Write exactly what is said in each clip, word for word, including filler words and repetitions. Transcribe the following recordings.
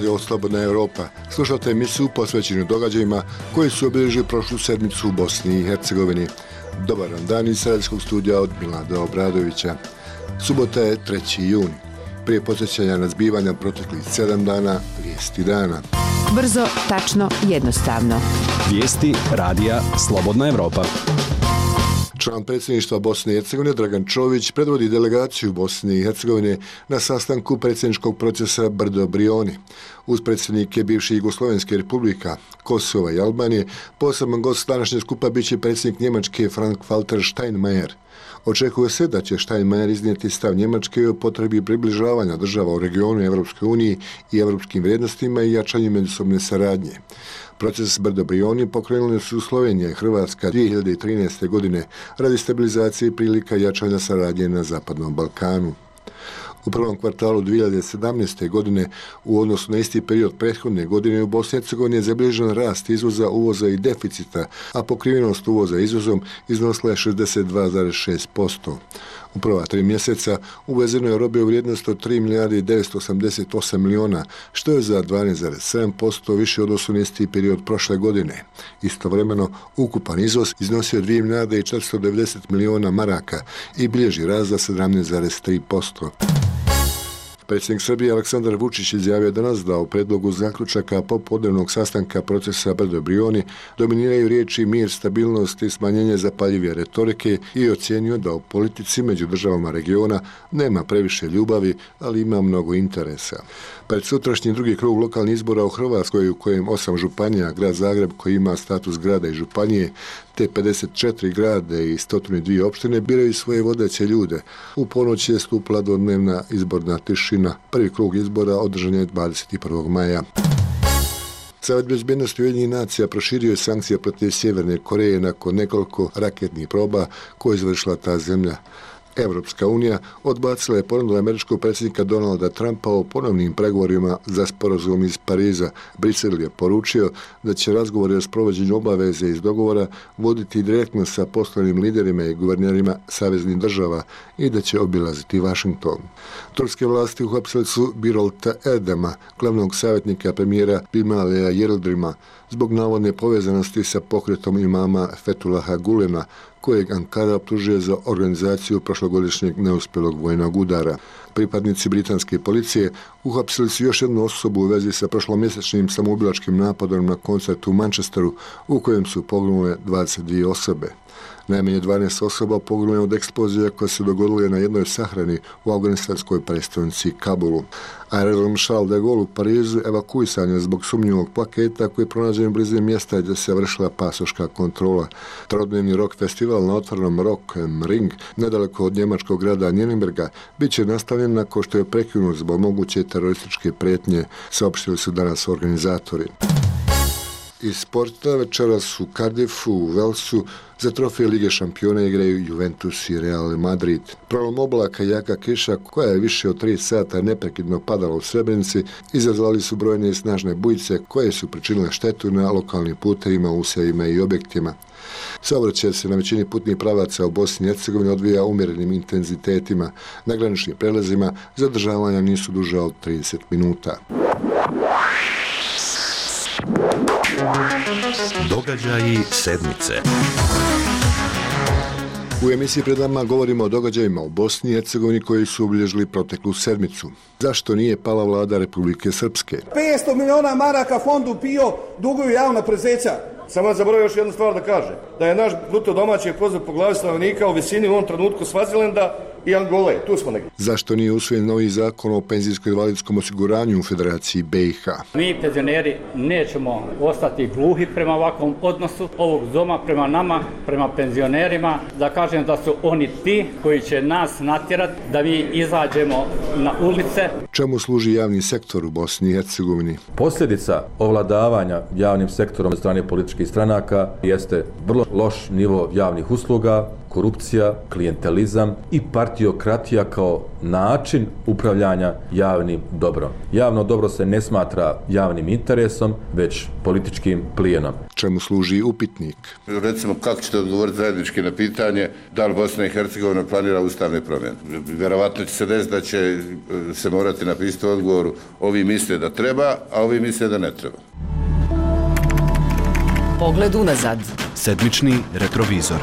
radio Slobodna Europa. Slušate emisiju posvećenu događajima koji su obilježili prošlu sedmicu u Bosni i Hercegovini. Dobar vam dan iz sredskog studija od Milada Obradovića. Subota je treći juni. Prije podsjećanja na zbivanja proteklih sedam dana, vijesti dana. Brzo, tačno, jednostavno. Vijesti radija Slobodna Europa. Član predsjedništva Bosne i Hercegovine Dragan Čović predvodi delegaciju Bosne i Hercegovine na sastanku predsjedničkog procesa Brdo Brioni. Uz predsjednike bivših Jugoslovenske republika, Kosova i Albanije, poseban gost današnje skupa bit će predsjednik Njemačke Frank-Walter Steinmeier. Očekuje se da će Steinmeier iznijeti stav Njemačke o potrebi približavanja država u regionu Evropskoj uniji i evropskim vrijednostima i jačanju međusobne saradnje. Proces Brdo Brioni pokrenuli su Slovenija i Hrvatska dvije hiljade trinaeste. godine radi stabilizacije i prilika jačanja saradnje na Zapadnom Balkanu. U prvom kvartalu dvije hiljade sedamnaeste. godine u odnosu na isti period prethodne godine u Bosni i Hercegovini je zabilježen rast izvoza, uvoza i deficita, a pokrivenost uvoza izvozom iznosila je šezdeset dva zarez šest posto. U prva tri mjeseca uvezeno je robe u vrijednosti od tri milijarde devetsto osamdeset osam miliona, što je za dvanaest zarez sedam posto više u odnosu na isti period prošle godine. Istovremeno, ukupan izvoz iznosio dvije milijarde četiristo devedeset miliona maraka i bilježi rast za sedamnaest zarez tri posto. Predsjednik Srbije Aleksandar Vučić izjavio danas da u predlogu zaključaka popodnevnog sastanka procesa Brdo Brioni dominiraju riječi mir, stabilnost i smanjenje zapaljive retorike i ocijenio da u politici među državama regiona nema previše ljubavi, ali ima mnogo interesa. Pred sutrašnji drugi krug lokalnih izbora u Hrvatskoj, u kojem osam županija, grad Zagreb koji ima status grada i županije, te pedeset četiri grade i sto dvije opštine biraju svoje vodeće ljude. U ponoć je stupila dvodnevna izborna tišina. Prvi krug izbora održan je dvadeset prvog maja. Savet bezbednosti Ujedinjenih nacija proširio je sankcije protiv Sjeverne Koreje nakon nekoliko raketnih proba koje je izvršila ta zemlja. Evropska unija odbacila je ponudu američkog predsjednika Donalda Trumpa o ponovnim pregovorima za sporazum iz Pariza. Brisel je poručio da će razgovori o sprovođenju obaveze iz dogovora voditi direktno sa poslovnim liderima i guvernerima saveznih država i da će obilaziti Washington. Turske vlasti uhapsili su Birolta Erdema, glavnog savjetnika premijera Binaliha Yıldırım'a, zbog navodne povezanosti sa pokretom imama Fethullaha Gulena, kojeg Ankara optužuje za organizaciju prošlogodišnjeg neuspjelog vojnog udara. Pripadnici britanske policije uhapsili su još jednu osobu u vezi sa prošlomjesečnim samoubilačkim napadom na koncertu u Manchesteru, u kojem su poginule dvadeset dvije osobe. Najmanje dvanaest osoba poginulo je od eksplozije koje se dogodile na jednoj sahrani u afganistanskoj prestonici Kabulu. Aerodrom Charles de Gaulle u Parizu evakuisan je zbog sumnjivog paketa koji je pronađen u blizini mjesta gdje se vršila pasoška kontrola. Trodnevni rock festival na otvorenom Rock am Ring, nedaleko od njemačkog grada Nürnberga, bit će nastavljen nakon što je prekinut zbog moguće terorističke prijetnje, saopštili su danas organizatori. Iz sporta večeras u Cardiffu, u Walesu, za trofej Lige šampiona igraju Juventus i Real Madrid. Prolom oblaka i jaka kiša, koja je više od tri sata neprekidno padala u Srebrenici, izazvali su brojne i snažne bujice koje su pričinile štetu na lokalnim putevima, usjevima i objektima. Saobraćaj se na većini putnih pravaca u Bosni i Hercegovini odvija umjerenim intenzitetima. Na graničnim prelazima zadržavanja nisu duža od trideset minuta. Događaji sedmice. U emisiji pred nama govorimo o događajima u Bosni i Hercegovini koji su obilježili proteklu sedmicu. Zašto nije pala vlada Republike Srpske? petsto miliona maraka fondu PIO duguju javna preduzeća. Samo zaboravio još jednu stvar da kaže. Da je naš bruto domaći proizvod po glavi stanovnika u visini u ovom trenutku Svazilenda i Angole. Tu smo negdje. Zašto nije usvojen novi zakon o penzijsko-invalidskom osiguranju u Federaciji B i H? Mi penzioneri nećemo ostati gluhi prema ovakvom odnosu ovog doma prema nama, prema penzionerima. Da kažem da su oni ti koji će nas natjerati da mi izađemo na ulice. Čemu služi javni sektor u Bosni i Hercegovini? Posljedica ovladavanja javnim sektorom od strane političkih stranaka jeste vrlo loš nivo javnih usluga, korupcija, klijentelizam i partiokratija kao način upravljanja javnim dobrom. Javno dobro se ne smatra javnim interesom, već političkim plijenom. Čemu služi upitnik? Recimo, kako ćete odgovoriti zajednički na pitanje da li Bosna i Hercegovina planira ustavne promjene? Vjerovatno će se desiti da će se morati napisati u odgovoru ovi misle da treba, a ovi misle da ne treba. Pogled unazad. Sedmični retrovizor.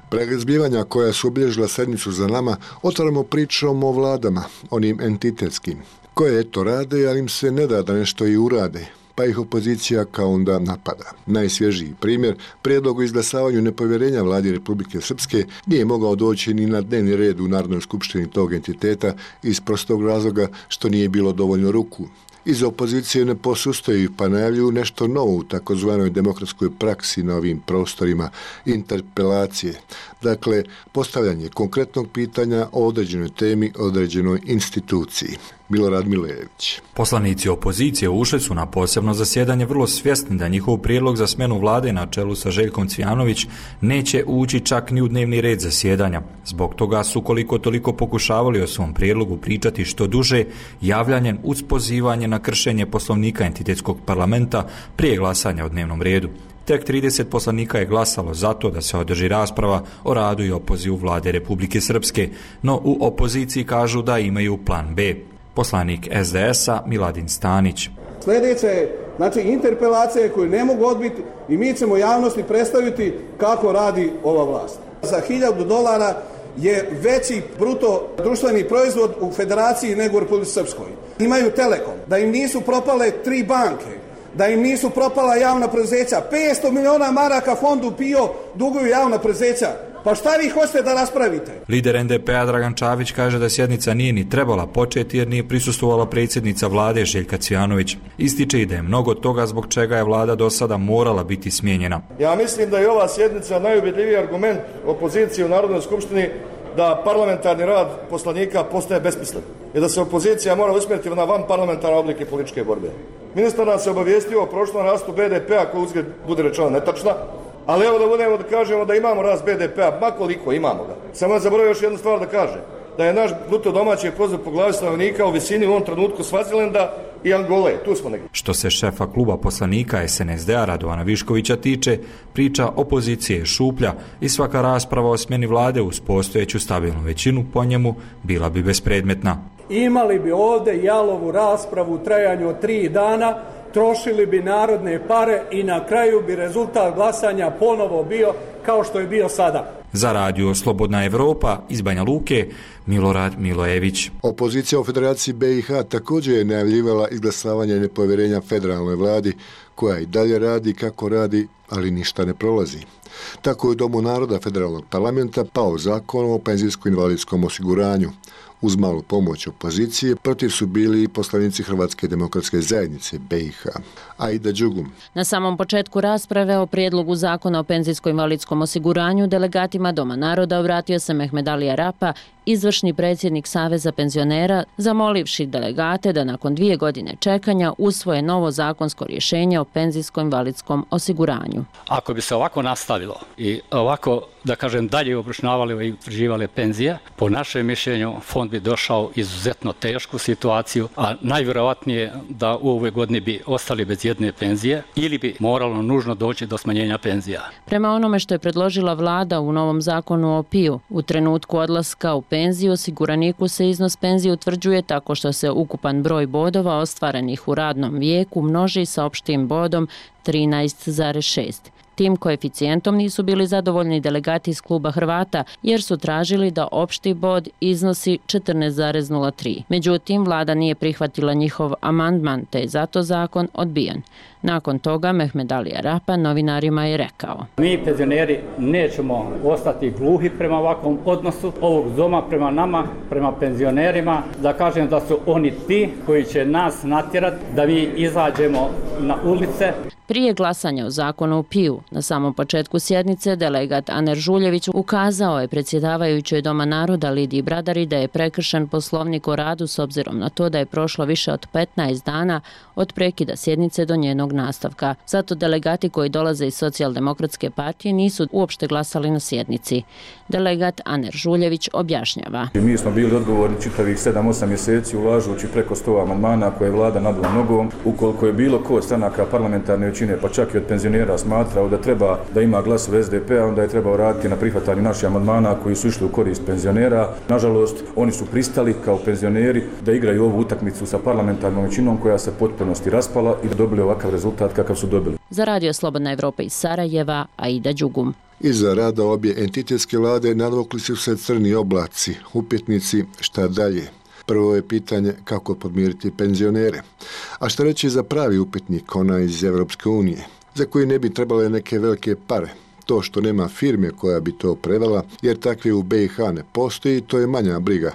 Pregled zbivanja koja su obilježila sedmicu za nama, otvaramo pričom o vladama, onim entitetskim, koje eto rade, ali im se ne da da nešto i urade, pa ih opozicija kao onda napada. Najsvježiji primjer, prijedlog o izglasavanju nepovjerenja vladi Republike Srpske nije mogao doći ni na dnevni red u Narodnoj skupštini tog entiteta iz prostog razloga što nije bilo dovoljno ruku. Iz opozicije ne posustaju pa najavljuju nešto novo u takozvanoj demokratskoj praksi na ovim prostorima, interpelacije. Dakle, postavljanje konkretnog pitanja o određenoj temi, određenoj instituciji. Milorad Milojević. Poslanici opozicije ušli su na posebno zasjedanje vrlo svjesni da njihov prijedlog za smjenu vlade na čelu sa Željkom Cvijanović neće ući čak ni u dnevni red zasjedanja. Zbog toga su koliko toliko pokušavali o svom prijedlogu pričati što duže, javljanjem uz pozivanje na kršenje poslovnika entitetskog parlamenta prije glasanja o dnevnom redu. Tek trideset poslanika je glasalo za to da se održi rasprava o radu i opozivu vlade Republike Srpske, no u opoziciji kažu da imaju plan B. Poslanik es de es-a Miladin Stanić. Sljedeće je, znači, interpelacije koju ne mogu odbiti i mi ćemo javnosti predstaviti kako radi ova vlast. Za hiljadu dolara je veći bruto društveni proizvod u federaciji nego u Republici Srpskoj. Imaju Telekom, da im nisu propale tri banke, da im nisu propala javna preduzeća. petsto miliona maraka fondu PIO duguju javna preduzeća. Pa šta vi hoćete da raspravite? Lider en de pe-a Dragan Čavić kaže da sjednica nije ni trebala početi jer nije prisustvovala predsjednica vlade Željka Cvijanović. Ističe i da je mnogo toga zbog čega je vlada do sada morala biti smijenjena. Ja mislim da je ova sjednica najubjedljiviji argument opozicije u Narodnoj skupštini da parlamentarni rad poslanika postaje besmislen i da se opozicija mora usmjeriti na van parlamentarne oblike političke borbe. Ministar nas se obavijestio o prošlom rastu be de pe-a koji uzgled bude rečeno netačna, ali evo da budemo da kažemo da imamo rast be de pe-a, ma koliko imamo ga. Samo zaboravio još jednu stvar da kaže, da je naš bruto domaći proizvod po glavi stanovnika u visini u ovom trenutku Svazilenda i Angole, tu smo negdje. Što se šefa kluba poslanika es en es de-a Radovana Viškovića tiče, priča opozicije je šuplja i svaka rasprava o smjeni vlade uz postojeću stabilnu većinu po njemu bila bi bespredmetna. Imali bi ovdje jalovu raspravu u trajanju od tri dana, trošili bi narodne pare i na kraju bi rezultat glasanja ponovo bio kao što je bio sada. Za radio Slobodna Evropa iz Banja Luke, Milorad Milojević. Opozicija u Federaciji be i ha također je najavljivala izglasavanje nepovjerenja federalnoj vladi, koja i dalje radi kako radi, ali ništa ne prolazi. Tako je u Domu naroda federalnog parlamenta pao zakon o penzijsko-invalidskom osiguranju. Uz malu pomoć opozicije, protiv su bili i poslanici Hrvatske demokratske zajednice be i ha. Aida Đugum. Na samom početku rasprave o prijedlogu zakona o penzijsko-invalidskom osiguranju delegatima Doma naroda obratio se Mehmed Ali Arapa, izvršni predsjednik Saveza penzionera, zamolivši delegate da nakon dvije godine čekanja usvoje novo zakonsko rješenje o penzijsko-invalidskom osiguranju. Ako bi se ovako nastavilo i ovako, da kažem, dalje obračunavali i utvrđivali penzije, po našem mišljenju fond bi došao izuzetno tešku situaciju, a najvjerojatnije da u ovoj godini bi ostali bez jedne penzije ili bi moralo nužno doći do smanjenja penzija. Prema onome što je predložila vlada u novom zakonu o piju, u trenutku odlaska u penziju osiguraniku se iznos penzije utvrđuje tako što se ukupan broj bodova ostvarenih u radnom vijeku množi sa opštim bodom trinaest zarez šest. Tim koeficijentom nisu bili zadovoljni delegati iz kluba Hrvata jer su tražili da opšti bod iznosi četrnaest zarez nula tri. Međutim, vlada nije prihvatila njihov amandman te je zato zakon odbijen. Nakon toga Mehmed Ali Arapa novinarima je rekao: Mi penzioneri nećemo ostati gluhi prema ovakvom odnosu ovog doma prema nama, prema penzionerima, da kažem da su oni ti koji će nas natjerati da mi izađemo na ulice. Prije glasanja o zakonu o piju, na samom početku sjednice, delegat Aner Žuljević ukazao je predsjedavajućoj Doma naroda Lidiji Bradari da je prekršen poslovnik o radu s obzirom na to da je prošlo više od petnaest dana od prekida sjednice do njenog nastavka. Zato delegati koji dolaze iz Socijaldemokratske partije nisu uopšte glasali na sjednici. Delegat Aner Žuljević objašnjava. Mi smo bili odgovorni čitavih sedam osam mjeseci ulažući preko sto amandmana koje je vlada nabila nogom. Ukoliko je bilo ko od stranaka parlamentarne većine, pa čak i od penzionera, smatrao da treba da ima glasove S D P-a, onda je trebao raditi na prihvatanju naših amandmana koji su išli u korist penzionera. Nažalost, oni su pristali kao penzioneri da igraju ovu utakmicu sa parlamentarnom većinom koja se potpunosti raspala i da dobili ovakav rezultat kakav su dobili. Za Radio Slobodna Evropa iz Sarajeva, Aida Đugum. Iza rada obje entitetske vlade nadvukli su se crni oblaci, upitnici, šta dalje. Prvo je pitanje kako podmiriti penzionere. A šta reći za pravi upitnik, ona iz Evropske unije, za koji ne bi trebale neke velike pare. To što nema firme koja bi to prevela, jer takve u B i H ne postoji, to je manja briga.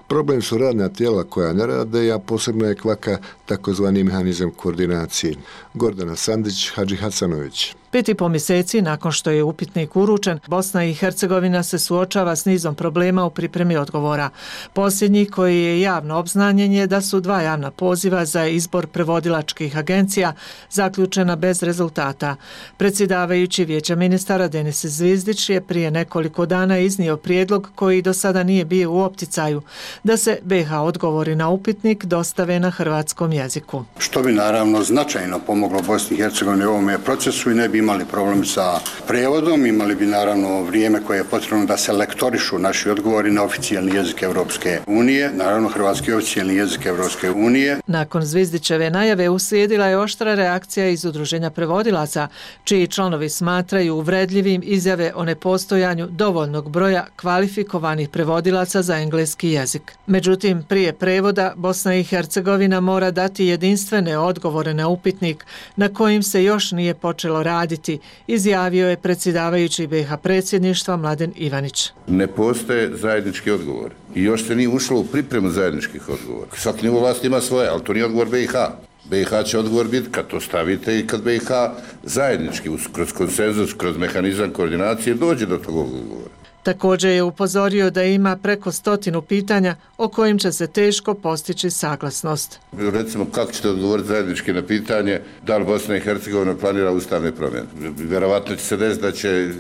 Problem su radna tijela koja ne rade, a posebno je kvaka takozvani mehanizam koordinacije. Gordana Sandić, Hadži Hacanović. Pet i po mjeseci nakon što je upitnik uručen, Bosna i Hercegovina se suočava s nizom problema u pripremi odgovora. Posljednji koji je javno obznanjen je da su dva javna poziva za izbor prevodilačkih agencija zaključena bez rezultata. Predsjedavajući Vijeća ministara Denis Zvizdić je prije nekoliko dana iznio prijedlog koji do sada nije bio u opticaju, da se B i H odgovori na upitnik dostave na hrvatskom jeziku. Što bi naravno značajno pomoglo Bosni i Hercegovini u ovome procesu i ne bi imali problem sa prijevodom, imali bi naravno vrijeme koje je potrebno da se lektorišu naši odgovori na oficijalni jezik Evropske unije, naravno hrvatski oficijalni jezik Evropske unije. Nakon Zvizdićeve najave uslijedila je oštra reakcija iz Udruženja prevodilaca, čiji članovi smatraju uvredljivim izjave o nepostojanju dovoljnog broja kvalifikovanih prevodilaca za engleski jezik. Međutim, prije prevoda Bosna i Hercegovina mora dati jedinstvene odgovore na upitnik na kojim se još nije počelo raditi, izjavio je predsjedavajući B i H predsjedništva Mladen Ivanić. Ne postoje zajednički odgovor i još se nije ušlo u pripremu zajedničkih odgovora. Svaki nivo vlasti ima svoje, ali to nije odgovor B i H. B i H će odgovor biti kad to stavite i kad B i H zajednički, kroz konsenzus, kroz mehanizam koordinacije dođe do tog odgovora. Također je upozorio da ima preko stotinu pitanja o kojim će se teško postići saglasnost. Recimo, kako ćete odgovoriti zajednički na pitanje da li Bosna i Hercegovina planira ustavne promjene? Vjerovatno će se desiti da će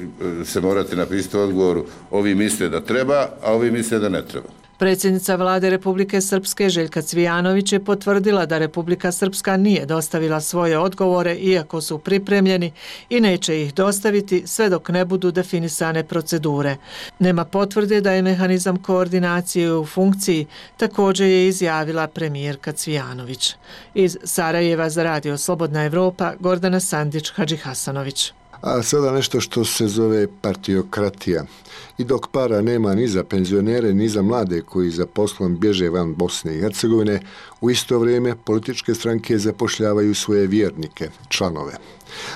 se morati napisati u odgovoru ovi misle da treba, a ovi misle da ne treba. Predsjednica vlade Republike Srpske Željka Cvijanović je potvrdila da Republika Srpska nije dostavila svoje odgovore iako su pripremljeni i neće ih dostaviti sve dok ne budu definisane procedure. Nema potvrde da je mehanizam koordinacije u funkciji, također je izjavila premijerka Cvijanović. Iz Sarajeva za Radio Slobodna Evropa, Gordana Sandić, Hadži Hasanović. A sada nešto što se zove partiokratija. I dok para nema ni za penzionere, ni za mlade koji za poslom bježe van Bosne i Hercegovine, u isto vrijeme političke stranke zapošljavaju svoje vjernike, članove.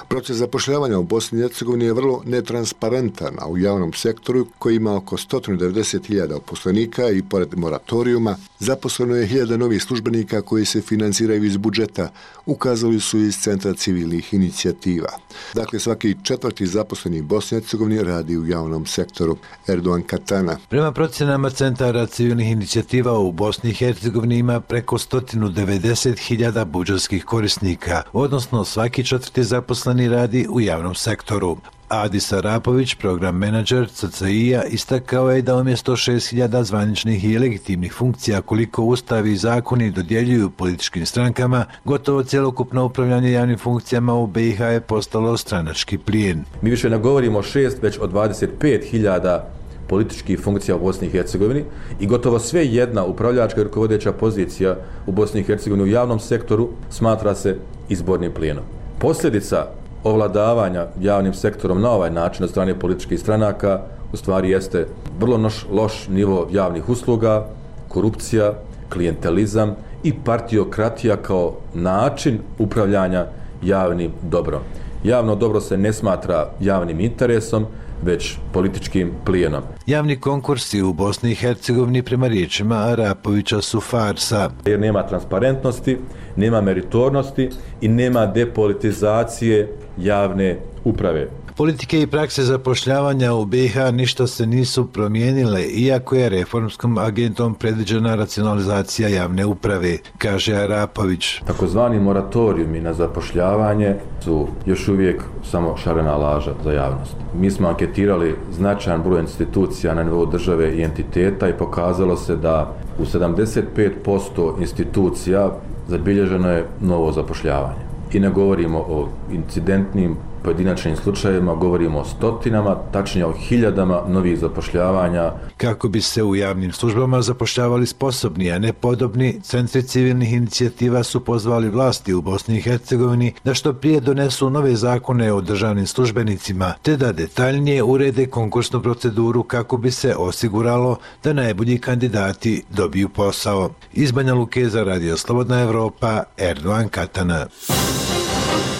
Proces zapošljavanja u Bosni i Hercegovini je vrlo netransparentan, a u javnom sektoru koji ima oko sto devedeset hiljada uposlenika i pored moratorijuma zaposleno je hiljada novih službenika koji se financiraju iz budžeta, ukazali su iz Centra civilnih inicijativa. Dakle, svaki četvrti zaposleni Bosni i Hercegovini radi u javnom sektoru. Erdogan Katana. Prema procjenama Centara civilnih inicijativa u Bosni i Hercegovini ima preko sto devedeset hiljada budžetskih korisnika, odnosno svaki četvrti zaposleni radi u javnom sektoru. Adis Arapović, program menadžer C C I-a, istakao je da umjesto šest hiljada zvaničnih i legitimnih funkcija koliko ustavi i zakoni dodjeljuju političkim strankama, gotovo cjelokupno upravljanje javnim funkcijama u B i H je postalo stranački plijen. Mi više ne govorimo o šest, već o dvadeset pet hiljada političkih funkcija u Bosni i Hercegovini i gotovo sve jedna upravljačka i rukovodeća pozicija u Bosni i Hercegovini u javnom sektoru smatra se izbornim plijenom. Posljedica ovladavanja javnim sektorom na ovaj način od strane političkih stranaka u stvari jeste vrlo noš, loš nivo javnih usluga, korupcija, klijentelizam i partiokratija kao način upravljanja javnim dobrom. Javno dobro se ne smatra javnim interesom, već političkim plijenom. Javni konkursi u Bosni i Hercegovini prema riječima Arapovića su farsa. Jer nema transparentnosti, nema meritornosti i nema depolitizacije javne uprave. Politike i prakse zapošljavanja u B i H ništa se nisu promijenile, iako je reformskom agentom predviđena racionalizacija javne uprave, kaže Arapović. Takozvani moratorijumi na zapošljavanje su još uvijek samo šarena laža za javnost. Mi smo anketirali značajan broj institucija na nivou države i entiteta i pokazalo se da u sedamdeset pet posto institucija zabilježeno je novo zapošljavanje. I ne govorimo o incidentnim pojedinačnim slučajevima, govorimo o stotinama, tačnije o hiljadama novih zapošljavanja. Kako bi se u javnim službama zapošljavali sposobni, a ne podobni, centri civilnih inicijativa su pozvali vlasti u Bosni i Hercegovini da što prije donesu nove zakone o državnim službenicima, te da detaljnije urede konkursnu proceduru kako bi se osiguralo da najbolji kandidati dobiju posao. Iz Banja Luke za Radio Slobodna Evropa, Erdogan Katana.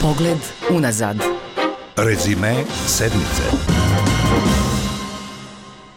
Pogled unazad. Rezime sedmice.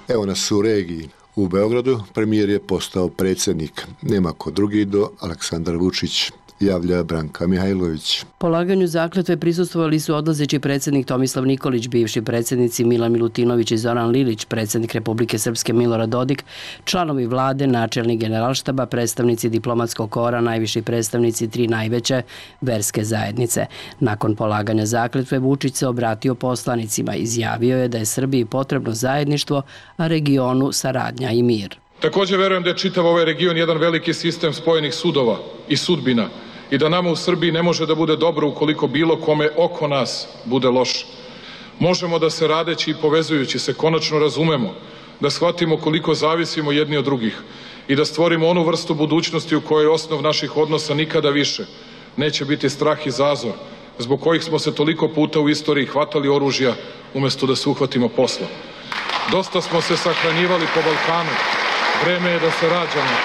Evo nas u regiji. U Beogradu premijer je postao predsjednik. Nema ko drugi do Aleksandar Vučić, javlja Branka Mihajlović. Polaganju zakletve prisustvovali su odlazeći predsjednik Tomislav Nikolić, bivši predsjednici Milan Milutinović i Zoran Lilić, predsjednik Republike Srpske Milorad Dodik, članovi vlade, načelnik generalštaba, predstavnici diplomatskog kora, najviši predstavnici tri najveće verske zajednice. Nakon polaganja zakletve Vučić se obratio poslanicima, izjavio je da je Srbiji potrebno zajedništvo, a regionu saradnja i mir. Također verujem da je čitav ovaj region jedan veliki sistem spojenih sudova i sudbina i da nama u Srbiji ne može da bude dobro ukoliko bilo kome oko nas bude loše. Možemo da se radeći i povezujući se konačno razumemo, da shvatimo koliko zavisimo jedni od drugih i da stvorimo onu vrstu budućnosti u kojoj osnov naših odnosa nikada više neće biti strah i zazor, zbog kojih smo se toliko puta u istoriji hvatali oružja umjesto da se uhvatimo posla. Dosta smo se sahranjivali po Balkanu. Vreme je da se rađamo.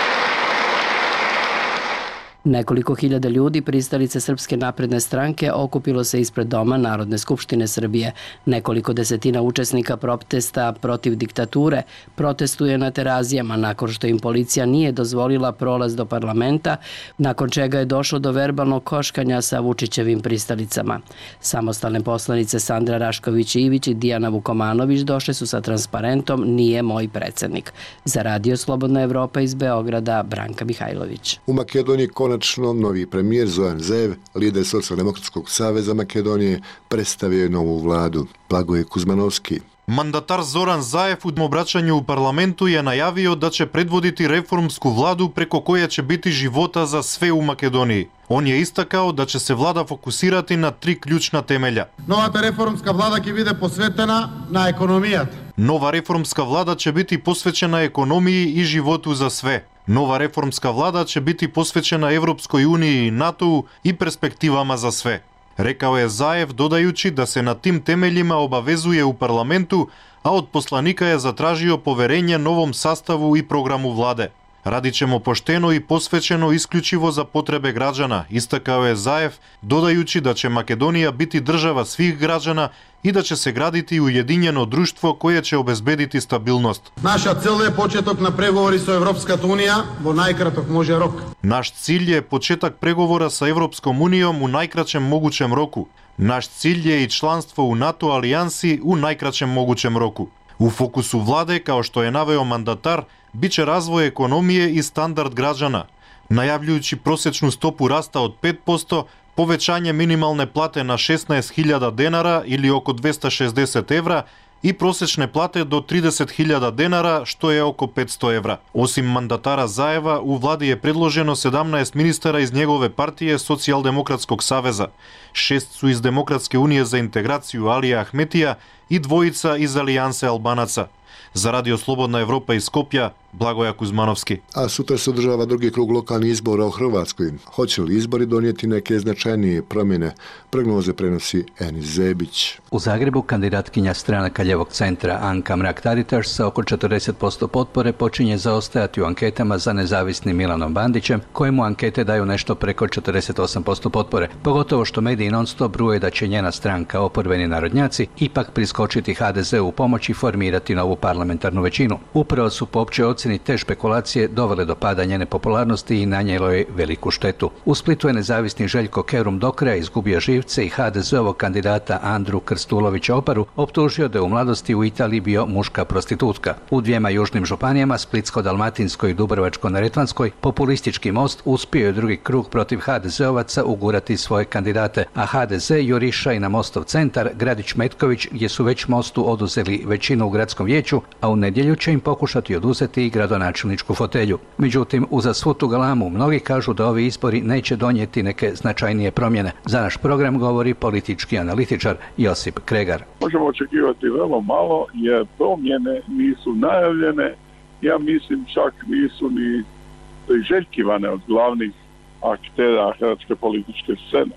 Nekoliko hiljada ljudi, pristalice Srpske napredne stranke, okupilo se ispred doma Narodne skupštine Srbije. Nekoliko desetina učesnika protesta protiv diktature protestuje na Terazijama nakon što im policija nije dozvolila prolaz do parlamenta, nakon čega je došlo do verbalnog koškanja sa Vučićevim pristalicama. Samostalne poslanice Sandra Rašković-Ivić i Dijana Vukomanović došle su sa transparentom "Nije moj predsjednik". Za Radio Slobodna Evropa iz Beograda, Branka Mihajlović. U Makedoniji konačno novi premijer Zoran Zaev, lider Socijaldemokratskog saveza Makedonije, predstavio je novu vladu. Blagoje Kuzmanovski. Mandatar Zoran Zaev u obraćanju u parlamentu je najavio da će predvoditi reformsku vladu preko koja će biti života za sve u Makedoniji. On je istakao da će se vlada fokusirati na tri ključna temelja. Novata reformska vlada će biti posvetena na ekonomijat. Nova reformska vlada će biti posvećena ekonomiji i životu za sve. Nova reformska vlada će biti posvećena Evropskoj uniji i NATO-u i perspektivama za sve. Rekao je Zaev, dodajući da se na tim temeljima obavezuje u parlamentu, a od poslanika je zatražio poverenje novom sastavu i programu vlade. Radit ćemo pošteno i posvećeno isključivo za potrebe građana, istakao je Zaev, dodajući da će Makedonija biti država svih građana i da će se graditi ujedinjeno društvo koje će obezbediti stabilnost. Naša cilj je početok na pregovori sa Evropska unija vo najkratok može rok. Naš cilj je početak pregovora sa Evropskom unijom u najkraćem mogućem roku. Naš cilj je i članstvo u NATO alijansi u najkraćem mogućem roku. U fokusu vlade, kao što je naveo mandatar, bit će razvoj ekonomije i standard građana, najavljujući prosječnu stopu rasta od pet posto, povećanje minimalne plate na šesnaest hiljada denara ili oko dvesta šezdeset evra i prosječne plate do trideset hiljada denara, što je oko petsto evra. Osim mandatara Zaeva, u vladi je predloženo sedamnaest ministara iz njegove partije Socijaldemokratskog saveza. Šest su iz Demokratske unije za integraciju Alija Ahmetija i dvojica iz Alijanse Albanaca. Za Radio Slobodna Evropa iz Skopja, Blagoja Kuzmanovski. A sutra se održava drugi krug lokalnih izbora u Hrvatskoj. Hoće li izbori donijeti neke značajnije promjene? Prognoze prenosi Enis Zebić. U Zagrebu kandidatkinja stranaka ljevog centra Anka Mrak-Taritaš sa oko četrdeset posto potpore počinje zaostajati u anketama za nezavisnim Milanom Bandićem, kojemu ankete daju nešto preko četrdeset osam posto potpore. Pogotovo što mediji non stop bruje da će njena stranka Oporbeni narodnjaci ipak priskočiti ha de zeu u pomoć i formirati novu parlamentarnu većinu. Upravo su po općoj ocjeni te špekulacije dovele do pada njene popularnosti i nanijelo je veliku štetu. U Splitu je nezavisni Željko Kerum do kraja izgubio živce i ha de zeovog kandidata Andru Krstulovića Oparu optužio da je u mladosti u Italiji bio muška prostitutka. U dvijema južnim županijama, Splitsko-dalmatinskoj i Dubrovačko-neretvanskoj, populistički Most uspio je drugi krug protiv ha de zeovaca ugurati svoje kandidate, a ha de ze juriša i na Mostov centar, Gradić Metković, gdje su već Mostu oduzeli većinu u gradskom vijeću, a u nedjelju će im pokušati oduzeti i gradonačelničku fotelju. Međutim, uza svu tu galamu, mnogi kažu da ovi izbori neće donijeti neke značajnije promjene. Za naš program govori politički analitičar Josip Kregar. Možemo očekivati vrlo malo jer promjene nisu najavljene, ja mislim čak nisu ni priželjkivane od glavnih aktera hrvatske političke scene.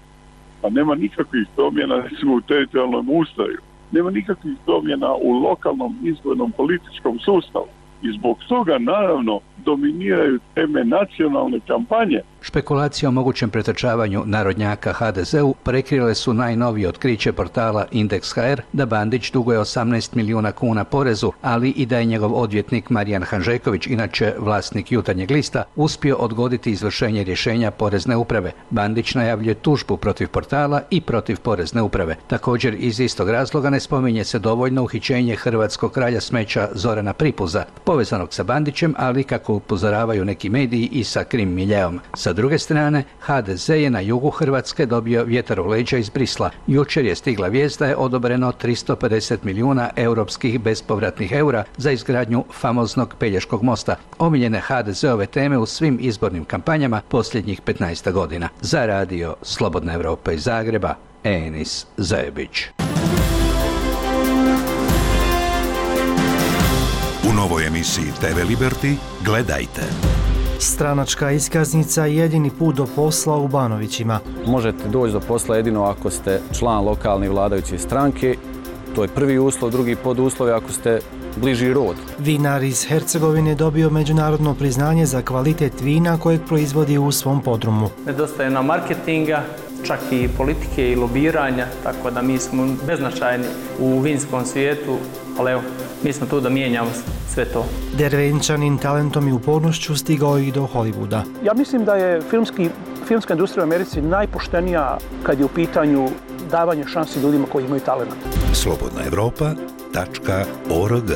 Pa nema nikakvih promjena recimo u teritorijalnom ustroju, nema nikakvih promjena u lokalnom izbornom političkom sustavu i zbog toga naravno dominiraju teme nacionalne kampanje. Špekulacije o mogućem pretrčavanju narodnjaka ha de zeu prekrile su najnovije otkriće portala Indeks ha er da Bandić duguje osamnaest milijuna kuna porezu, ali i da je njegov odvjetnik Marijan Hanžeković, inače vlasnik Jutarnjeg lista, uspio odgoditi izvršenje rješenja Porezne uprave. Bandić najavljuje tužbu protiv portala i protiv Porezne uprave. Također iz istog razloga ne spominje se dovoljno uhićenje hrvatskog kralja smeća Zorana Pripuza, povezanog sa Bandićem, ali kako upozoravaju neki mediji i sa krim miljeom. Sa druge strane, ha de ze je na jugu Hrvatske dobio vjetar u leđa iz Brisla. Jučer je stigla vijest da je odobreno tristo pedeset milijuna europskih bespovratnih eura za izgradnju famoznog Pelješkog mosta, omiljene ha de zeove teme u svim izbornim kampanjama posljednjih petnaest godina. Za radio Slobodna Evropa iz Zagreba, Enis Zajebić. U novoj emisiji te ve Liberty gledajte. Stranačka iskaznica je jedini put do posla u Banovićima. Možete doći do posla jedino ako ste član lokalne vladajuće stranke. To je prvi uslov, drugi poduslov je ako ste bliži rod. Vinar iz Hercegovine dobio međunarodno priznanje za kvalitet vina kojeg proizvodi u svom podrumu. Nedostaje nam marketinga, čak i politike i lobiranja, tako da mi smo beznačajni u vinskom svijetu, ali evo, mi smo tu da mijenjamo sve to. Dervenčanin talentom i upornošću stigao i do Hollywooda. Ja mislim da je filmski, filmska industrija u Americi najpoštenija kad je u pitanju davanje šansi ljudima koji imaju talent. slobodna evropa tačka org.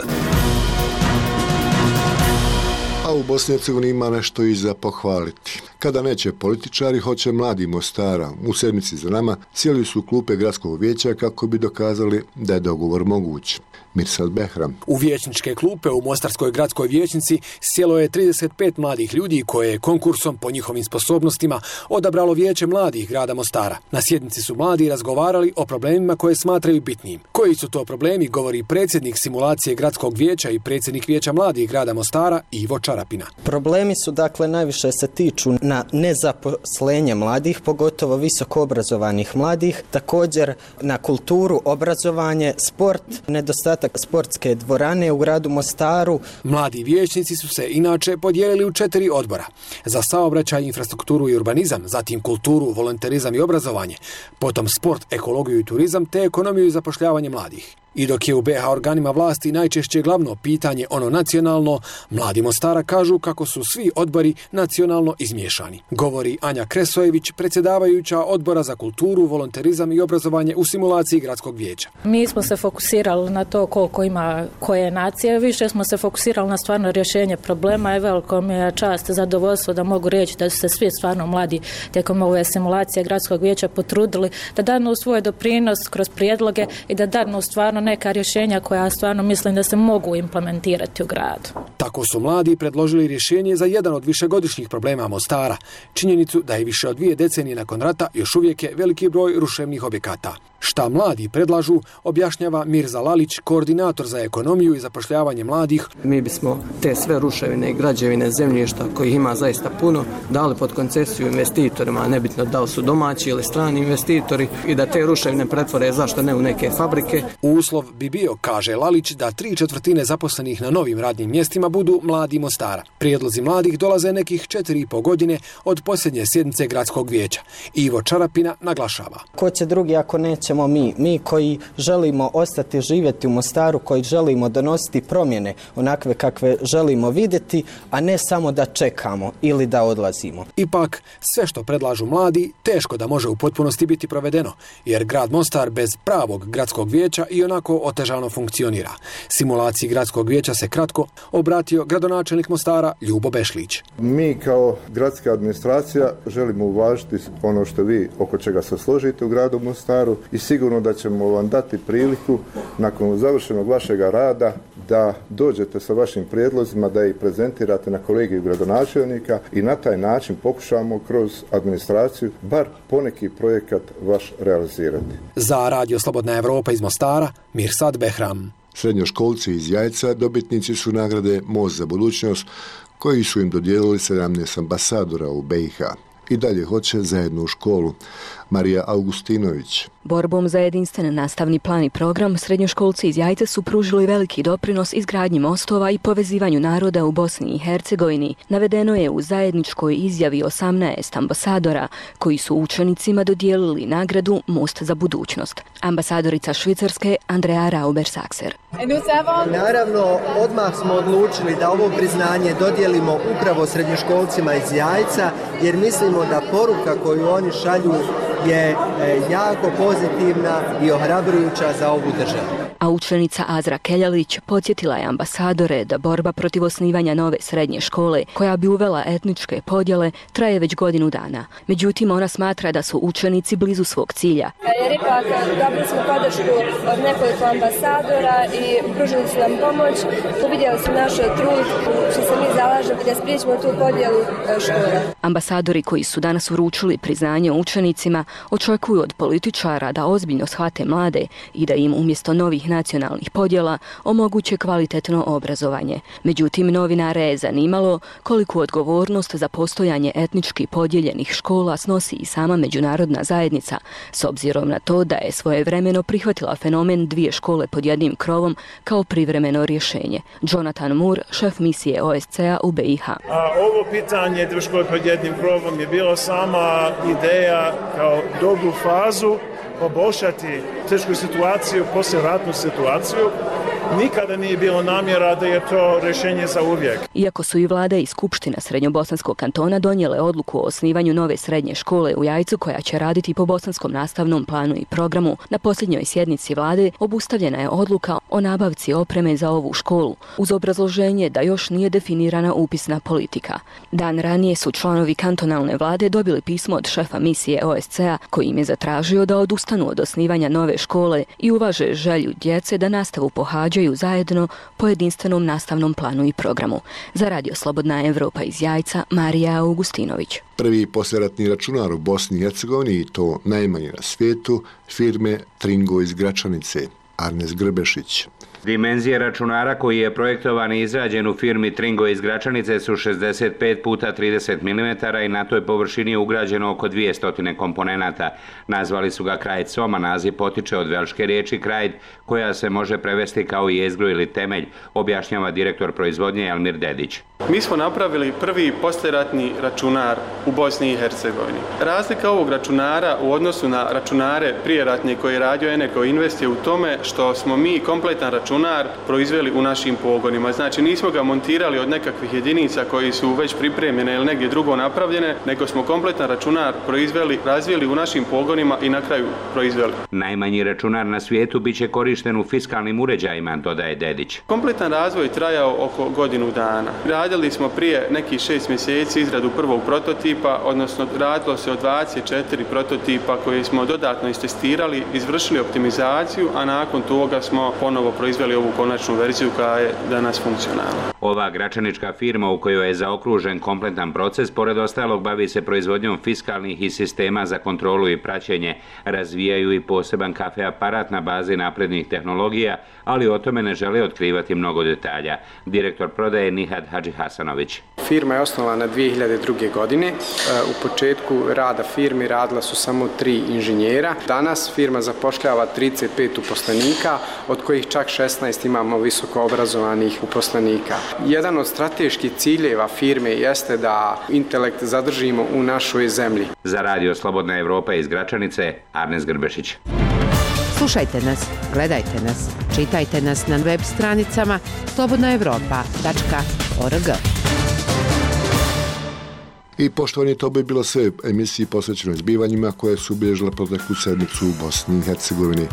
A u Bosni i Hercegovini ima nešto i za pohvaliti. Kada neće političari, hoće mladi Mostara. U sedmici za nama sjeli su klupe gradskog vijeća kako bi dokazali da je dogovor moguć. Mirsad Behram. U vijećničke klupe u Mostarskoj gradskoj vijećnici sjelo je trideset pet mladih ljudi koje je konkursom po njihovim sposobnostima odabralo vijeće mladih grada Mostara. Na sjednici su mladi razgovarali o problemima koje smatraju bitnim. Koji su to problemi, govori predsjednik simulacije gradskog vijeća i predsjednik vijeća mladih grada Mostara Ivo Čarapina. Problemi su dakle najviše se tiču na nezaposlenje mladih, pogotovo visoko obrazovanih mladih, također na kulturu, obrazovanje, sport, nedostatak sportske dvorane u gradu Mostaru. Mladi vijećnici su se inače podijelili u četiri odbora. Za saobraćaj, infrastrukturu i urbanizam, zatim kulturu, volonterizam i obrazovanje, potom sport, ekologiju i turizam te ekonomiju i zapošljavanje mladih. I dok je u be ha organima vlasti najčešće glavno pitanje ono nacionalno, mladi Mostara kažu kako su svi odbori nacionalno izmiješani. Govori Anja Kresojević, predsjedavajuća odbora za kulturu, volonterizam i obrazovanje u simulaciji gradskog vijeća. Mi smo se fokusirali na to koliko ima koje nacije, više smo se fokusirali na stvarno rješenje problema i veliko mi je čast, zadovoljstvo da mogu reći da su se svi stvarno mladi tijekom ove simulacije gradskog vijeća potrudili da danu svoj doprinos kroz prijedloge i da danu stvarno neka rješenja koja stvarno mislim da se mogu implementirati u gradu. Tako su mladi predložili rješenje za jedan od višegodišnjih problema Mostara. Činjenicu da je više od dvije decenije nakon rata još uvijek je veliki broj ruševnih objekata. Šta mladi predlažu, objašnjava Mirza Lalić, koordinator za ekonomiju i zapošljavanje mladih. Mi bismo te sve ruševine i građevine zemljišta, kojih ima zaista puno, dali pod koncesiju investitorima, nebitno da li su domaći ili strani investitori, i da te ruševine pretvore, zašto ne, u neke fabrike. Uslov bi bio, kaže Lalić, da tri četvrtine zaposlenih na novim radnim mjestima budu mladi Mostara. Prijedlozi mladih dolaze nekih četiri i po godine od posljednje sjednice gradskog vijeća. Ivo Čarapina naglašava. Ko će drugi ako nećemo mi? Mi koji želimo ostati živjeti u Mostaru, koji želimo donositi promjene onakve kakve želimo vidjeti, a ne samo da čekamo ili da odlazimo. Ipak, sve što predlažu mladi teško da može u potpunosti biti provedeno, jer grad Mostar bez pravog gradskog vijeća i onako otežano funkcionira. Simulaciji gradskog vijeća se kratko obratio gradonačelnik Mostara Ljubo Bešlić. Mi kao gradska administracija želimo uvažiti ono što vi oko čega se složite u gradu Mostaru i sigurno da ćemo vam dati priliku nakon završenog vašega rada da dođete sa vašim prijedlozima, da ih prezentirate na kolegiju gradonačelnika i na taj način pokušamo kroz administraciju bar poneki projekat vaš realizirati. Za Radio Slobodna Evropa iz Mostara, Mirsad Behram. Srednjoškolci iz Jajca dobitnici su nagrade Most za budućnost, koji su im dodijelili sedamnaest ambasadora u B i H. I dalje hoće zajedno u školu. Marija Augustinović. Borbom za jedinstven nastavni plan i program, srednjoškolci iz Jajca su pružili veliki doprinos izgradnji mostova i povezivanju naroda u Bosni i Hercegovini. Navedeno je u zajedničkoj izjavi osamnaest ambasadora, koji su učenicima dodijelili nagradu Most za budućnost. Ambasadorica Švicarske Andrea Rauber-Sakser. Naravno, odmah smo odlučili da ovo priznanje dodijelimo upravo srednjoškolcima iz Jajca, jer mislimo da poruka koju oni šalju je jako pozitivna i ohrabrujuća za ovu državu. A učenica Azra Keljalić podsjetila je ambasadore da borba protiv osnivanja nove srednje škole, koja bi uvela etničke podjele, traje već godinu dana. Međutim, ona smatra da su učenici blizu svog cilja. Jer ipak dobili smo podršku od nekoliko ambasadora i pružili su nam pomoć. Uvidjeli su naš trud što se mi zalažemo da spriječimo tu podjelu škole. Ambasadori koji su danas uručili priznanje učenicima očekuju od političara da ozbiljno shvate mlade i da im umjesto novih nacionalnih podjela omoguće kvalitetno obrazovanje. Međutim, novinare je zanimalo koliku odgovornost za postojanje etnički podijeljenih škola snosi i sama međunarodna zajednica, s obzirom na to da je svojevremeno prihvatila fenomen dvije škole pod jednim krovom kao privremeno rješenje. Jonathan Moore, šef misije O S C A u B i H. A ovo pitanje dvije škole pod jednim krovom je bilo sama ideja kao dobru fazu poboljšati tešku situaciju, poslijeratnu situaciju. Nikada nije bilo namjera da je to rješenje za uvijek. Iako su i vlada i skupština Srednjobosanskog kantona donijele odluku o osnivanju nove srednje škole u Jajcu koja će raditi po bosanskom nastavnom planu i programu, na posljednjoj sjednici vlade obustavljena je odluka o nabavci opreme za ovu školu, uz obrazloženje da još nije definirana upisna politika. Dan ranije su članovi kantonalne vlade dobili pismo od šefa misije O S C A koji im je zatražio da odustanu od osnivanja nove škole i uvaže želju djece da nastavu pohađaju zajedno po jedinstvenom nastavnom planu i programu. Za Radio Slobodna Evropa iz Jajca, Marija Augustinović. Prvi poslijeratni računar u Bosni i Hercegovini, i to najmanji na svijetu, firme Tringo iz Gračanice. Arnes Grbešić. Dimenzije računara koji je projektovan i izrađen u firmi Tringo iz Gračanice su šezdeset pet puta trideset milimetara i na toj površini je ugrađeno oko dvjesto komponenata. Nazvali su ga Krajd Soma, naziv potiče od velške riječi Krajd, koja se može prevesti kao jezgru ili temelj, objašnjava direktor proizvodnje Elmir Dedić. Mi smo napravili prvi poslijeratni računar u Bosni i Hercegovini. Razlika ovog računara u odnosu na računare prijeratne koje je radio Eneco Invest je u tome što smo mi kompletan računar proizveli u našim pogonima. Znači nismo ga montirali od nekakvih jedinica koji su već pripremljene ili negdje drugo napravljene, nego smo kompletan računar proizveli, razvijeli u našim pogonima i na kraju proizveli. Najmanji računar na svijetu bit će korišten u fiskalnim uređajima, dodaje Dedić. Kompletan razvoj trajao oko godinu dana. Radili smo prije nekih šest mjeseci izradu prvog prototipa, odnosno radilo se o dvadeset četiri prototipa koje smo dodatno istestirali, izvršili optimizaciju, a nakon toga smo ponovo proizveli ovu konačnu verziju koja je danas funkcionalna. Ova gračanička firma u kojoj je zaokružen kompletan proces, pored ostalog bavi se proizvodnjom fiskalnih i sistema za kontrolu i praćenje. Razvijaju i poseban kafe aparat na bazi naprednih tehnologija, ali o tome ne žele otkrivati mnogo detalja. Direktor prodaje Nihad Hadži Hasanović. Firma je osnovana dvije hiljade druge. godine. U početku rada firme radila su samo tri inženjera. Danas firma zapošljava trideset pet uposlenika uposlenika, od kojih čak šesnaest imamo visoko obrazovanih uposlenika. Jedan od strateških ciljeva firme jeste da intelekt zadržimo u našoj zemlji. Za Radio Slobodna Evropa iz Gračanice, Arnes Grbešić. Slušajte nas, gledajte nas, čitajte nas na web stranicama slobodna evropa tačka org. I poštovani, to bi bilo sve emisiji posvećenoj zbivanjima koje su obilježile proteklu sedmicu u Bosni i Hercegovini.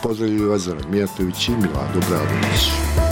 Pozdravljaju vas Zoran Mijatović i Milado Bradović.